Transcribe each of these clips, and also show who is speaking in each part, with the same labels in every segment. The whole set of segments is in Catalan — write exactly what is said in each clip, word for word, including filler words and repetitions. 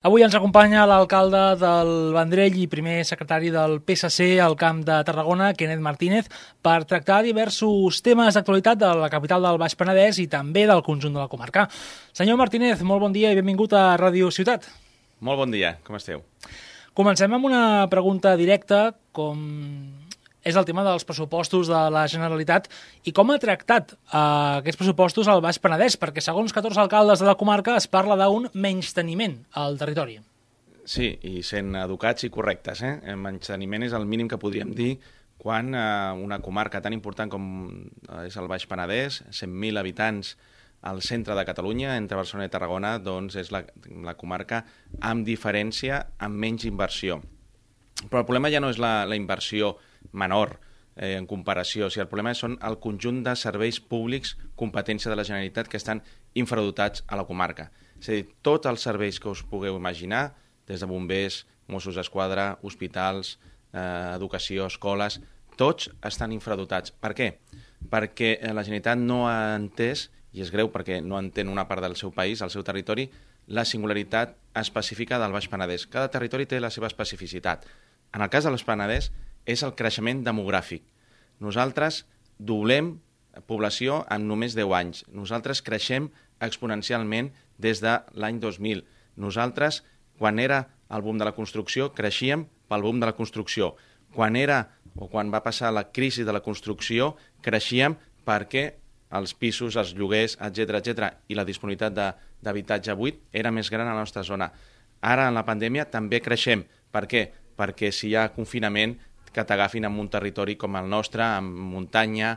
Speaker 1: Avui ens acompanya l'alcalde del Vendrell i primer secretari del P S C al Camp de Tarragona, Kenneth Martínez, per tractar diversos temes d'actualitat de la capital del Baix Penedès i també del conjunt de la comarca. Senyor Martínez, molt bon dia i benvingut a Ràdio Ciutat.
Speaker 2: Molt bon dia, com esteu?
Speaker 1: Comencem amb una pregunta directa, com és el tema dels pressupostos de la Generalitat i com ha tractat eh, aquests pressupostos al Baix Penedès, perquè segons catorze alcaldes de la comarca es parla d'un menysteniment al territori.
Speaker 2: Sí, i sent educats i correctes. Eh? El menysteniment és el mínim que podríem dir quan eh, una comarca tan important com és el Baix Penedès, cent mil habitants al centre de Catalunya, entre Barcelona i Tarragona, doncs és la, la comarca amb diferència, amb menys inversió. Però el problema ja no és la, la inversió menor eh, en comparació. O sigui, el problema són el conjunt de serveis públics competència de la Generalitat que estan infradotats a la comarca. És a dir, tots els serveis que us pugueu imaginar, des de bombers, Mossos d'Esquadra, hospitals, eh, educació, escoles, tots estan infradotats. Per què? Perquè la Generalitat no ha entès, i és greu perquè no entén una part del seu país, el seu territori, la singularitat específica del Baix Penedès. Cada territori té la seva especificitat. En el cas del Baix Penedès, és el creixement demogràfic. Nosaltres doblem població en només deu anys. Nosaltres creixem exponencialment des de l'any dos mil. Nosaltres, quan era el boom de la construcció, creixíem pel boom de la construcció. Quan era o quan va passar la crisi de la construcció, creixíem perquè els pisos, els lloguers, etcètera, etcètera, i la disponibilitat d'habitatge buit era més gran a la nostra zona. Ara, en la pandèmia, també creixem. Per què? Perquè si hi ha confinament, que t'agafin en un territori com el nostre, amb muntanya,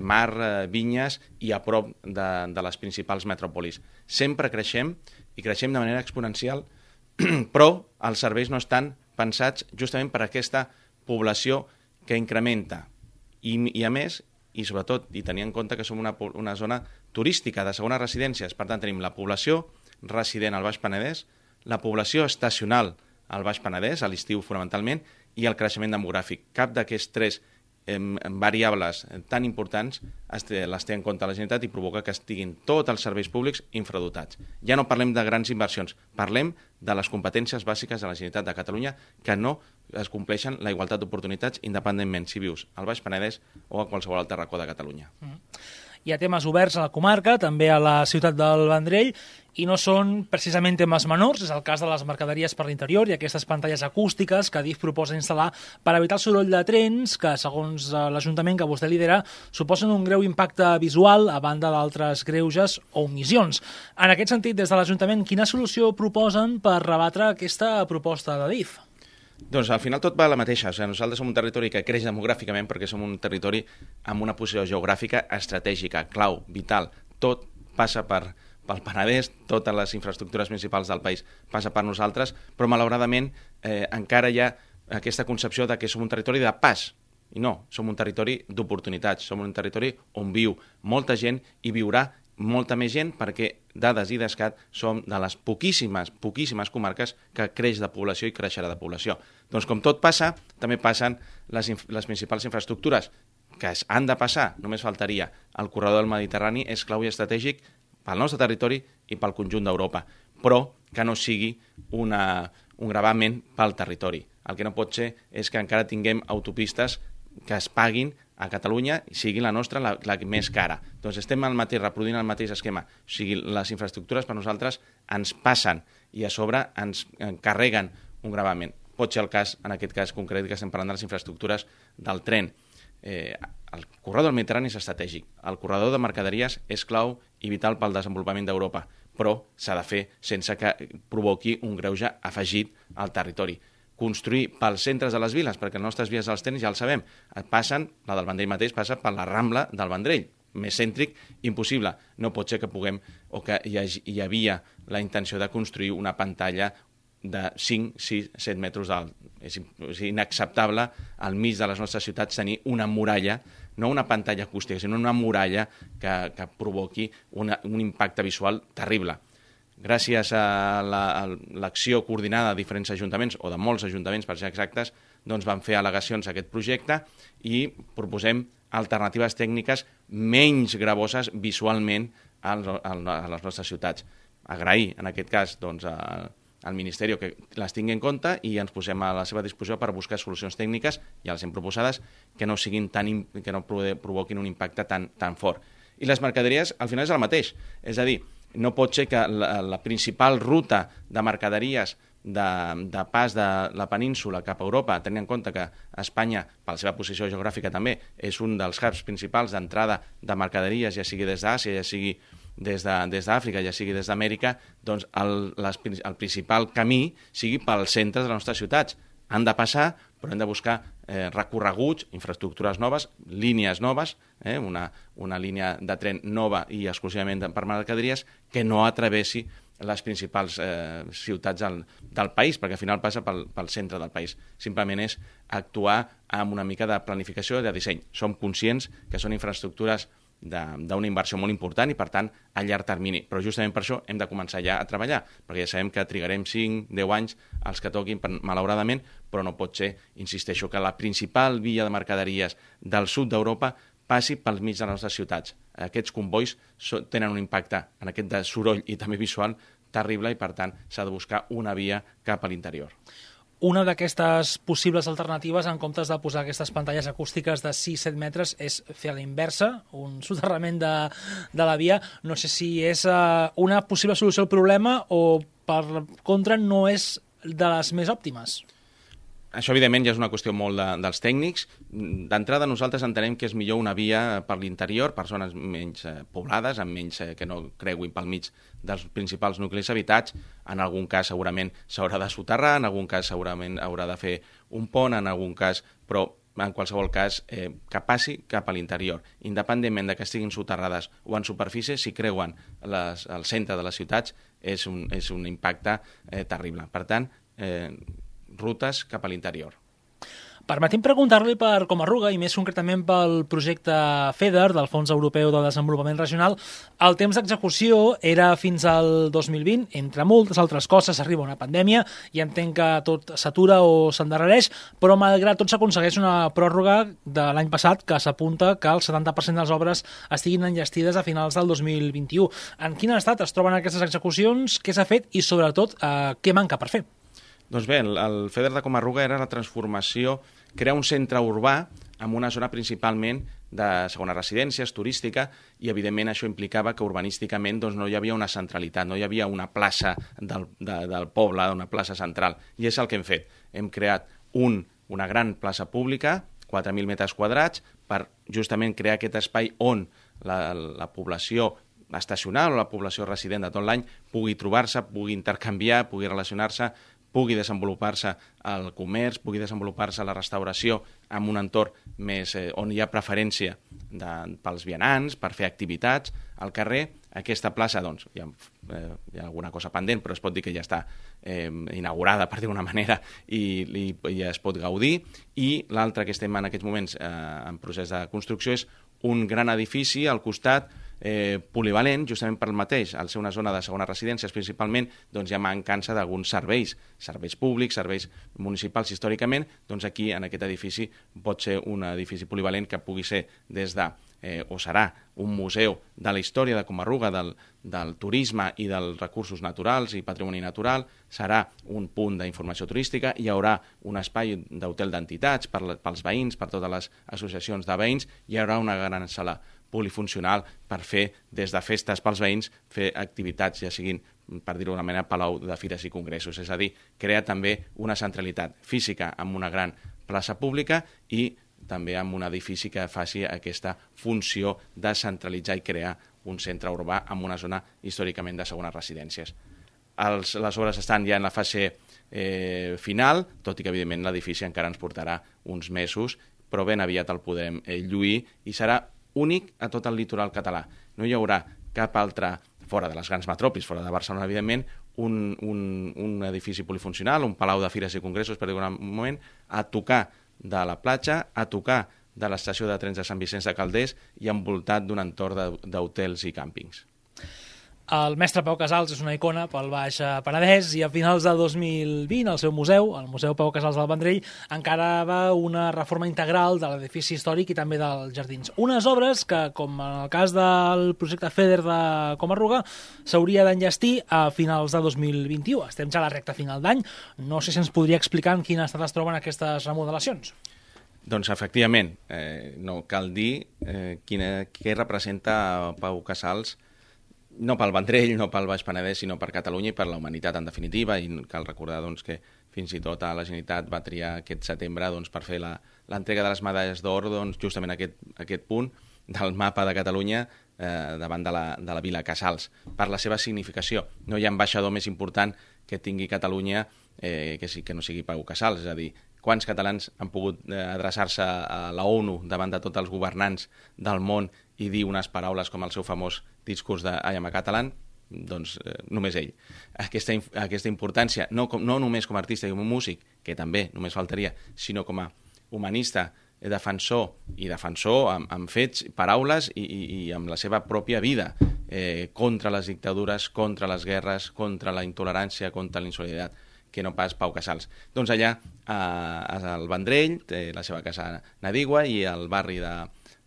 Speaker 2: mar, vinyes i a prop de, de les principals metròpolis. Sempre creixem i creixem de manera exponencial, però els serveis no estan pensats justament per aquesta població que incrementa. I, i a més, i sobretot, i tenint en compte que som una, una zona turística de segones residències, per tant tenim la població resident al Baix Penedès, la població estacional al Baix Penedès, a l'estiu fonamentalment, i el creixement demogràfic. Cap d'aquests tres eh, variables tan importants té, les té en compte la Generalitat i provoca que estiguin tots els serveis públics infradotats. Ja no parlem de grans inversions, parlem de les competències bàsiques de la Generalitat de Catalunya que no es compleixen la igualtat d'oportunitats independentment si vius al Baix Penedès o a qualsevol altre racó de Catalunya.
Speaker 1: Mm. Hi ha temes oberts a la comarca, també a la ciutat del Vendrell, i no són precisament temes menors. És el cas de les mercaderies per l'interior i aquestes pantalles acústiques que Adif proposa instal·lar per evitar el soroll de trens, que, segons l'Ajuntament que vostè lidera, suposen un greu impacte visual a banda d'altres greuges o omissions. En aquest sentit, des de l'Ajuntament, quina solució proposen per rebatre aquesta proposta d'Adif?
Speaker 2: Doncs al final tot va a la mateixa. O sigui, nosaltres som un territori que creix demogràficament perquè som un territori amb una posició geogràfica estratègica, clau, vital. Tot passa per, pel Penedès, totes les infraestructures principals del país passa per nosaltres, però malauradament eh, encara hi ha aquesta concepció de que som un territori de pas. I no, som un territori d'oportunitats, som un territori on viu molta gent i viurà molta més gent perquè dades i d'escat som de les poquíssimes, poquíssimes comarques que creix de població i creixerà de població. Doncs com tot passa, també passen les, les principals infraestructures que han de passar, només faltaria. El corredor del Mediterrani és clau i estratègic pel nostre territori i pel conjunt d'Europa, però que no sigui una, un gravament pel territori. El que no pot ser és que encara tinguem autopistes que es paguin a Catalunya i sigui la nostra la, la més cara. Doncs estem al mateix, reproduint el mateix esquema. O sigui, les infraestructures per nosaltres ens passen i a sobre ens carreguen un gravament. Pot ser el cas, en aquest cas concret, que estem parlant de les infraestructures del tren. Eh, el corredor del Mediterrani és estratègic. El corredor de mercaderies és clau i vital pel desenvolupament d'Europa, però s'ha de fer sense que provoqui un greuge afegit al territori. Construir pels centres de les viles, perquè les nostres vies dels trens, ja el sabem, passen, la del Vendrell mateix passa per la Rambla del Vendrell, més cèntric, impossible. No pot ser que puguem, o que hi, hagi, hi havia la intenció de construir una pantalla de cinc, sis, set metres d'alt. És, és inacceptable al mig de les nostres ciutats tenir una muralla, no una pantalla acústica, sinó una muralla que, que provoqui una, un impacte visual terrible. Gràcies a l'acció la, coordinada de diferents ajuntaments, o de molts ajuntaments per ser exactes, doncs van fer al·legacions a aquest projecte i proposem alternatives tècniques menys gravoses visualment a les nostres ciutats. Agrair, en aquest cas, doncs, a, al Ministeri que les tingui en compte i ens posem a la seva disposició per buscar solucions tècniques, ja les hem proposades, que no siguin tan, que no provoquin un impacte tan, tan fort. I les mercaderies, al final, és el mateix. És a dir, no pot ser que la, la principal ruta de mercaderies de, de pas de la península cap a Europa, tenint en compte que Espanya, per la seva posició geogràfica també, és un dels hubs principals d'entrada de mercaderies, ja sigui des d'Àsia, ja sigui des d'Àfrica, ja sigui des d'Amèrica, doncs el, les, el principal camí sigui pels centres de les nostres ciutats. Han de passar, però hem de buscar eh, recorreguts, infraestructures noves, línies noves, eh, una, una línia de tren nova i exclusivament per mercaderies que no atravessi les principals eh, ciutats del, del país, perquè al final passa pel, pel centre del país. Simplement és actuar amb una mica de planificació i de disseny. Som conscients que són infraestructures d'una inversió molt important i, per tant, a llarg termini. Però justament per això hem de començar ja a treballar, perquè ja sabem que trigarem cinc a deu anys els que toquin, malauradament, però no pot ser, insisteixo, que la principal via de mercaderies del sud d'Europa passi pel mig de les nostres ciutats. Aquests combois tenen un impacte en aquest de soroll i també visual terrible i, per tant, s'ha de buscar una via cap a l'interior.
Speaker 1: Una d'aquestes possibles alternatives, en comptes de posar aquestes pantalles acústiques de sis a set metres, és fer a la inversa, un soterrament de, de la via. No sé si és uh, una possible solució al problema o, per contra, no és de les més òptimes.
Speaker 2: Això, evidentment, ja és una qüestió molt de, dels tècnics. D'entrada, nosaltres entenem que és millor una via per l'interior, per zones menys eh, poblades, amb menys eh, que no creuin pel mig dels principals nuclis habitats. En algun cas, segurament, s'haurà de soterrar, en algun cas, segurament, haurà de fer un pont, en algun cas, però en qualsevol cas, eh, que passi cap a l'interior. Independentment de que estiguin soterrades o en superfície, si creuen les, el centre de les ciutats, és un, és un impacte eh, terrible. Per tant, eh, rutes cap a l'interior.
Speaker 1: Permetim preguntar-li per Comarruga, i més concretament pel projecte FEDER, del Fons Europeu de Desenvolupament Regional. El temps d'execució era fins al dos mil vint, entre moltes altres coses arriba una pandèmia i entenc que tot s'atura o s'endarrereix, però malgrat tot s'aconsegueix una pròrroga de l'any passat que s'apunta que el setanta per cent de les obres estiguin enllestides a finals del dos mil vint-i-u. En quin estat es troben aquestes execucions, què s'ha fet i, sobretot, eh, què manca per fer?
Speaker 2: Doncs bé, el, el FEDER de Comarruga era la transformació, crear un centre urbà amb una zona principalment de segones residències, turística, i evidentment això implicava que urbanísticament doncs, no hi havia una centralitat, no hi havia una plaça del, de, del poble, una plaça central, i és el que hem fet. Hem creat un, una gran plaça pública, quatre mil metres quadrats, per justament crear aquest espai on la, la població estacional o la població resident de tot l'any pugui trobar-se, pugui intercanviar, pugui relacionar-se, pugui desenvolupar-se el comerç, pugui desenvolupar-se la restauració en un entorn més eh, on hi ha preferència de, pels vianants, per fer activitats al carrer. Aquesta plaça, doncs, hi ha, eh, hi ha alguna cosa pendent, però es pot dir que ja està eh, inaugurada, per dir d'una manera, i, i, i ja es pot gaudir. I l'altre que estem en aquests moments eh, en procés de construcció és un gran edifici al costat Eh, polivalent, justament per el mateix, al ser una zona de segones residències principalment, doncs hi ha mancança d'alguns serveis, serveis públics, serveis municipals històricament, doncs aquí en aquest edifici pot ser un edifici polivalent que pugui ser des de, eh, o serà un museu de la història de Comarruga, del, del turisme i dels recursos naturals i patrimoni natural, serà un punt d'informació turística, hi haurà un espai d'hotel d'entitats per, pels veïns, per totes les associacions de veïns, hi haurà una gran sala polifuncional per fer, des de festes pels veïns, fer activitats, ja siguin, per dir-ho d'una manera, palau de fires i congressos. És a dir, crear també una centralitat física amb una gran plaça pública i també amb un edifici que faci aquesta funció de centralitzar i crear un centre urbà en una zona històricament de segones residències. Els, les obres estan ja en la fase eh, final, tot i que, evidentment, l'edifici encara ens portarà uns mesos, però ben aviat el podrem eh, lluir i serà únic a tot el litoral català. No hi haurà cap altre, fora de les grans metròpolis, fora de Barcelona, evidentment, un, un, un edifici polifuncional, un palau de fires i congressos, per dir-ho un moment, a tocar de la platja, a tocar de l'estació de trens de Sant Vicenç de Calders i envoltat d'un entorn d'hotels i càmpings.
Speaker 1: El mestre Pau Casals és una icona pel Baix Penedès i a finals de dos mil vint el seu museu, el Museu Pau Casals del Vendrell, encarava una reforma integral de l'edifici històric i també dels jardins. Unes obres que, com en el cas del projecte FEDER de Comarruga, s'hauria d'enllestir a finals de dos mil vint-i-u. Estem ja a la recta final d'any. No sé si ens podria explicar en quin estat es troben aquestes remodelacions.
Speaker 2: Doncs, efectivament, eh, no cal dir eh, quina, què representa Pau Casals, no pel Vendrell, no pel Baix Penedès, sinó per Catalunya i per la humanitat, en definitiva, i cal recordar doncs, que fins i tot a la Generalitat va triar aquest setembre doncs, per fer l'entrega de les medalles d'or doncs, justament a aquest, a aquest punt del mapa de Catalunya eh, davant de la, de la Vila Casals, per la seva significació. No hi ha ambaixador més important que tingui Catalunya eh, que, sí, que no sigui Pau Casals, és a dir, quants catalans han pogut eh, adreçar-se a la ONU davant de tots els governants del món i dir unes paraules com el seu famós discurs de I am a Catalan, doncs eh, només ell. Aquesta, aquesta importància, no, com, no només com a artista i com a músic, que també només faltaria, sinó com a humanista, defensor i defensor amb, amb fets, paraules i, i, i amb la seva pròpia vida eh, contra les dictadures, contra les guerres, contra la intolerància, contra la insolidaritat, que no pas Pau Casals. Doncs allà, eh, al Vendrell, té la seva casa Nadigua, i al barri de,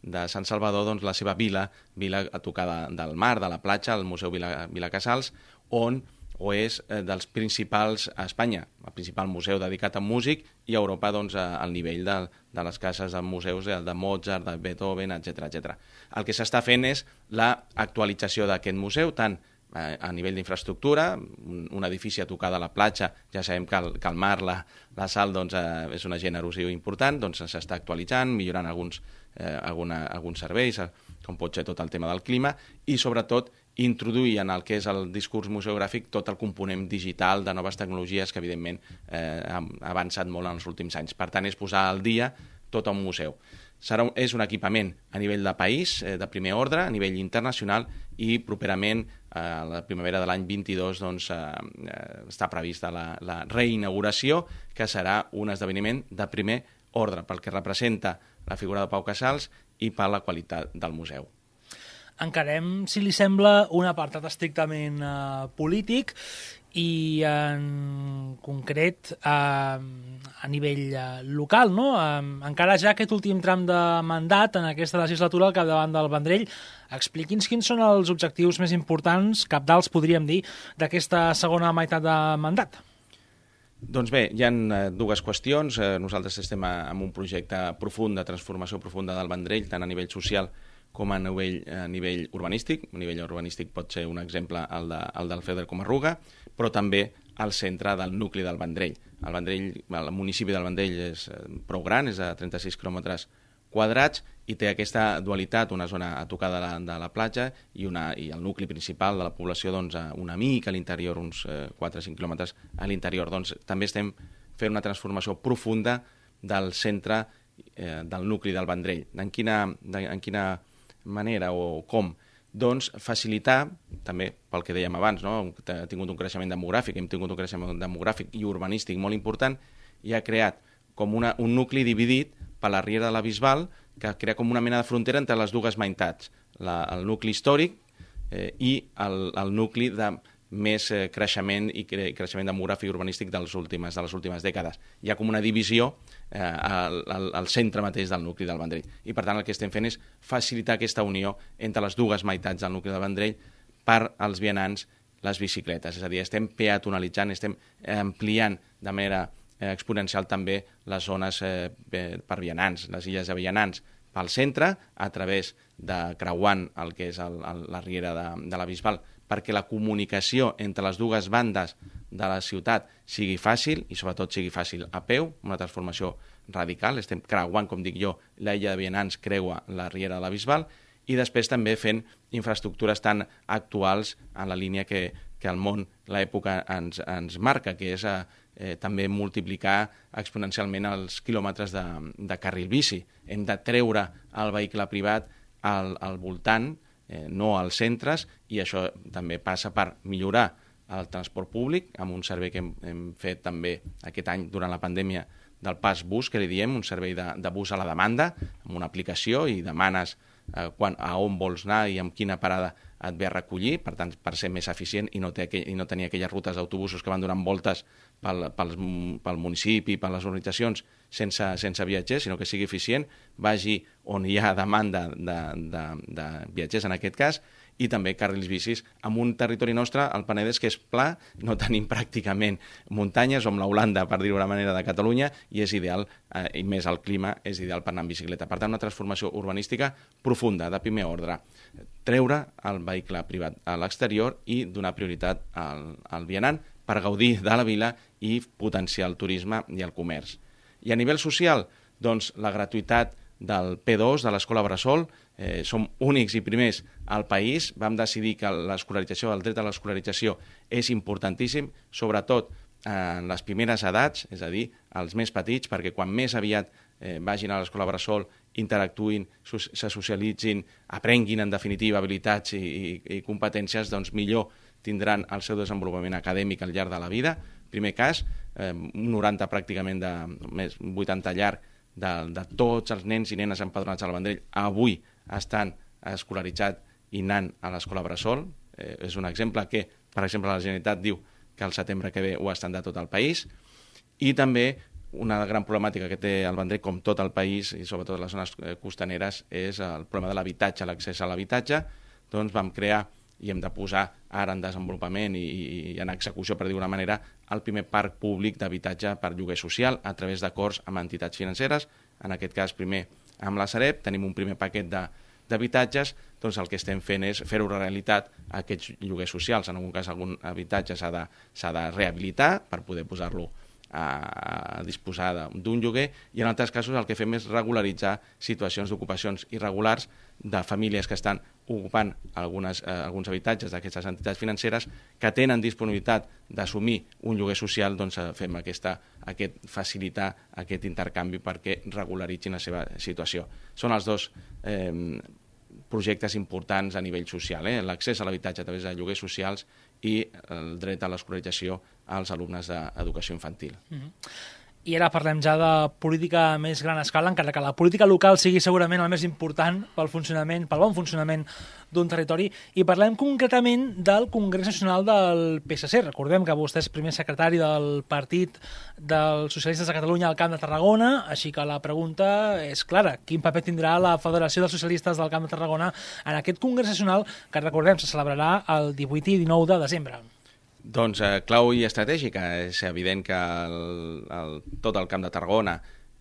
Speaker 2: de Sant Salvador, doncs, la seva vila, vila a tocar de, del mar, de la platja, el Museu Vila, Vila Casals, on o és eh, dels principals a Espanya, el principal museu dedicat a músic, i a Europa doncs, al nivell de, de les cases de museus de Mozart, de Beethoven, etcètera etcètera. El que s'està fent és l'actualització d'aquest museu, tant a nivell d'infraestructura, un, un edifici a tocar de la platja, ja sabem que el, que el mar, la, la sal, doncs, eh, és una agent erosiu important, doncs s'està actualitzant, millorant alguns, eh, alguna, alguns serveis, com pot ser tot el tema del clima, i sobretot introduir en el que és el discurs museogràfic tot el component digital de noves tecnologies que, evidentment, eh, ha avançat molt en els últims anys. Per tant, és posar al dia tot un museu. Serà un, és un equipament a nivell de país, eh, de primer ordre, a nivell internacional, i properament, eh, a la primavera de l'any vint-i-dos, doncs, eh, eh, està prevista la, la reinauguració, que serà un esdeveniment de primer ordre, pel que representa la figura de Pau Casals i per la qualitat del museu.
Speaker 1: Encarem, si li sembla, un apartat estrictament eh, polític i en concret eh, a nivell eh, local, no? Eh, encara ja aquest últim tram de mandat en aquesta legislatura al capdavant del Vendrell, expliqui'ns quins són els objectius més importants, cabdals podríem dir, d'aquesta segona meitat de mandat.
Speaker 2: Doncs bé, hi ha dues qüestions. Nosaltres estem en un projecte profund de transformació profunda del Vendrell, tant a nivell social com a nivell, a nivell urbanístic. A nivell urbanístic pot ser un exemple el, de, el del FEDER Comarruga, però també al centre del nucli del Vendrell. El, Vendrell, el municipi del Vendrell és prou gran, és de trenta-sis quilòmetres quadrats, i té aquesta dualitat, una zona a tocar de la, de la platja i, una, i el nucli principal de la població, doncs, una mica a l'interior, uns eh, quatre o cinc quilòmetres a l'interior. Doncs també estem fent una transformació profunda del centre eh, del nucli del Vendrell. En quina, de, en quina manera o com? Doncs facilitar, també pel que dèiem abans, no? Ha tingut un creixement demogràfic, hem tingut un creixement demogràfic i urbanístic molt important, i ha creat com una, un nucli dividit per la Riera de la Bisbal, que crea com una mena de frontera entre les dues meitats, la, el nucli històric eh, i el, el nucli de més eh, creixement i cre creixement demogràfic i urbanístic dels últimes, de les últimes dècades. Hi ha com una divisió eh, al, al, al centre mateix del nucli del Vendrell. I per tant el que estem fent és facilitar aquesta unió entre les dues meitats del nucli del Vendrell per als vianants, les bicicletes. És a dir, estem peatonalitzant, estem ampliant de manera eh, exponencial també les zones eh, per vianants, les illes de vianants, pel centre, a través de creuant el que és el, el, la Riera de, de la Bisbal, perquè la comunicació entre les dues bandes de la ciutat sigui fàcil i sobretot sigui fàcil a peu, una transformació radical. Estem creuant, com dic jo, l'illa de vianants creua la Riera de la Bisbal, i després també fent infraestructures tan actuals en la línia que, que el món, l'època ens, ens marca, que és eh, també multiplicar exponencialment els quilòmetres de, de carril bici. Hem de treure el vehicle privat al, al voltant, eh, no als centres, i això també passa per millorar el transport públic, amb un servei que hem, hem fet també aquest any durant la pandèmia del pas bus, que li diem, un servei de, de bus a la demanda, amb una aplicació, i demanes eh, quan, a on vols anar i amb quina parada et ve a recollir, per tant, per ser més eficient i no, té aquell, i no tenir aquelles rutes d'autobusos que van donant voltes pel, pel, pel municipi, per les organitzacions, sense, sense viatgers, sinó que sigui eficient, vagi on hi ha demanda de, de, de viatgers en aquest cas, i també carrils bicis en un territori nostre, el Penedès, que és pla, no tenim pràcticament muntanyes, som la Holanda, per dir-ho d'una manera, de Catalunya, i és ideal, eh, i més el clima, és ideal per anar en bicicleta. Per tant, una transformació urbanística profunda, de primer ordre. Treure el vehicle privat a l'exterior i donar prioritat al, al vianant per gaudir de la vila i potenciar el turisme i el comerç. I a nivell social, doncs, la gratuïtat del P dos, de l'escola Bressol, eh, som únics i primers al país. Vam decidir que l'escolarització, el dret a l'escolarització és importantíssim, sobretot en les primeres edats, és a dir, els més petits, perquè quan més aviat eh, vagin a l'escola Bressol, interactuïn, se socialitzin, aprenguin, en definitiva, habilitats i, i, i competències, doncs millor tindran el seu desenvolupament acadèmic al llarg de la vida. Primer cas, eh, un noranta pràcticament de més vuitanta llarg, De, de tots els nens i nenes empadronats al Vendrell avui estan escolaritzats i anant a l'escola Bressol. Eh, és un exemple que, per exemple, la Generalitat diu que al setembre que ve ho estan de tot el país. I també una gran problemàtica que té el Vendrell, com tot el país, i sobretot les zones costaneres, és el problema de l'habitatge, l'accés a l'habitatge. Doncs vam crear i hem de posar ara en desenvolupament i, i en execució, per dir-ho d'una manera, el primer parc públic d'habitatge per lloguer social a través d'acords amb entitats financeres. En aquest cas, primer amb la Sareb, tenim un primer paquet d'habitatges, doncs el que estem fent és fer-ho realitat a aquests lloguers socials. En algun cas, algun habitatge s'ha de, s'ha de rehabilitar per poder posar-lo a disposar d'un lloguer, i en altres casos el que fem és regularitzar situacions d'ocupacions irregulars de famílies que estan ocupant algunes, eh, alguns habitatges d'aquestes entitats financeres que tenen disponibilitat d'assumir un lloguer social. Doncs fem aquesta, aquest, facilitar aquest intercanvi perquè regularitzin la seva situació. Són els dos eh, projectes importants a nivell social, eh? L'accés a l'habitatge a través de lloguers socials i el dret a l'escolarització als alumnes d'educació infantil.
Speaker 1: Mm-hmm. I ara parlem ja de política a més gran escala, encara que la política local sigui segurament el més important pel funcionament, pel bon funcionament d'un territori, i parlem concretament del Congrés Nacional del P S C. Recordem que vostè és primer secretari del Partit dels Socialistes de Catalunya al Camp de Tarragona, així que la pregunta és clara: quin paper tindrà la Federació dels Socialistes del Camp de Tarragona en aquest Congrés Nacional que, recordem, se celebrarà el divuit i dinou de desembre?
Speaker 2: Doncs eh, clau i estratègica. És evident que el, el, tot el Camp de Tarragona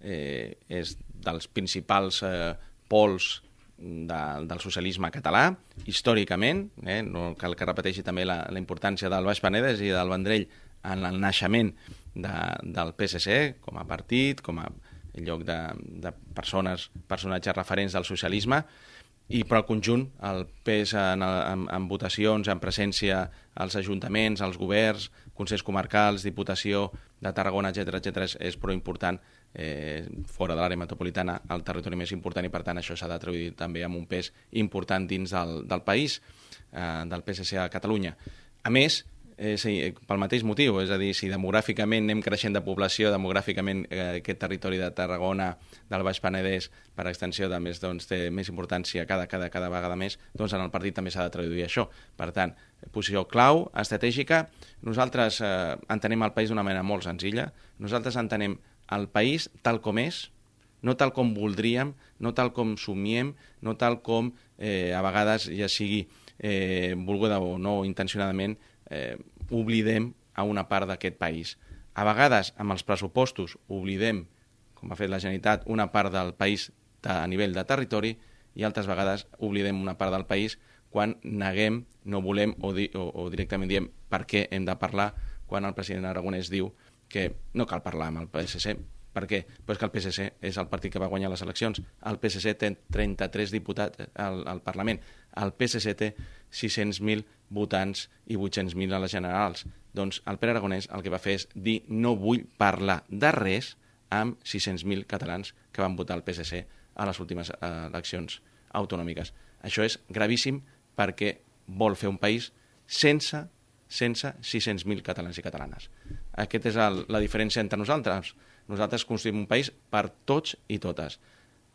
Speaker 2: eh, és dels principals eh, pols de, del socialisme català, històricament. Eh, no cal que repeteixi també la, la importància del Baix Penedès i del Vendrell en el naixement de, del P S C com a partit, com a lloc de, de persones, personatges referents del socialisme. I per al conjunt, el pes en, en, en votacions, en presència als ajuntaments, als governs, consells comarcals, Diputació de Tarragona, etcètera, etcètera, és, és prou important eh, fora de l'àrea metropolitana, el territori més important, i per tant això s'ha de traduir també amb un pes important dins del, del país, eh, del P S C a Catalunya. A més, Eh, sí, pel mateix motiu, és a dir, si demogràficament anem creixent de població, demogràficament eh, aquest territori de Tarragona, del Baix Penedès, per extensió, també doncs, té més importància cada, cada, cada vegada més, doncs en el partit també s'ha de traduir això. Per tant, posició clau, estratègica. Nosaltres eh, entenem el país d'una manera molt senzilla. Nosaltres entenem el país tal com és, no tal com voldríem, no tal com somiem, no tal com eh, a vegades, ja sigui eh, volguda o no intencionadament, Eh, oblidem a una part d'aquest país. A vegades, amb els pressupostos, oblidem, com ha fet la Generalitat, una part del país de, a nivell de territori, i altres vegades oblidem una part del país quan neguem, no volem o, di, o, o directament diem per què hem de parlar, quan el president Aragonès diu que no cal parlar amb el P S C. Per què? Pues que el P S C és el partit que va guanyar les eleccions. El P S C té trenta-tres diputats al, al Parlament. El P S C té sis-cents mil votants i vuit-cents mil a les generals. Doncs el Pere Aragonès el que va fer és dir no vull parlar de res amb sis-cents mil catalans que van votar el P S C a les últimes eh, eleccions autonòmiques. Això és gravíssim perquè vol fer un país sense, sense sis-cents mil catalans i catalanes. Aquesta és el, la diferència entre nosaltres. Nosaltres construïm un país per tots i totes.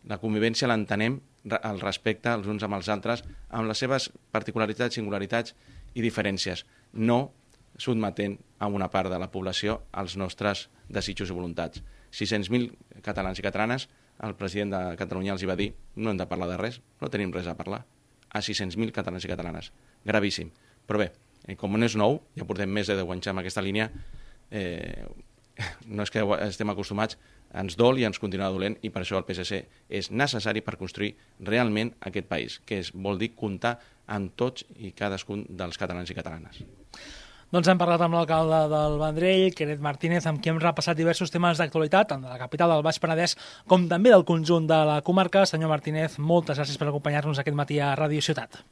Speaker 2: La convivència l'entenem el respecte els uns amb els altres, amb les seves particularitats, singularitats i diferències, no sotmetent a una part de la població als nostres desitjos i voluntats. sis-cents mil catalans i catalanes, el president de Catalunya els hi va dir no hem de parlar de res, no tenim res a parlar. A sis-cents mil catalans i catalanes. Gravíssim. Però bé, com no és nou, ja portem més de deu anys amb aquesta línia, eh, no és que estem acostumats, ens dol i ens continua dolent, i per això el P S C és necessari per construir realment aquest país, que és, vol dir comptar amb tots i cadascun dels catalans i catalanes.
Speaker 1: Doncs hem parlat amb l'alcalde del Vendrell, Kenneth Martínez, amb qui hem repassat diversos temes d'actualitat, tant de la capital del Baix Penedès com també del conjunt de la comarca. Senyor Martínez, moltes gràcies per acompanyar-nos aquest matí a Ràdio Ciutat.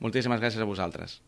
Speaker 2: Moltíssimes gràcies a vosaltres.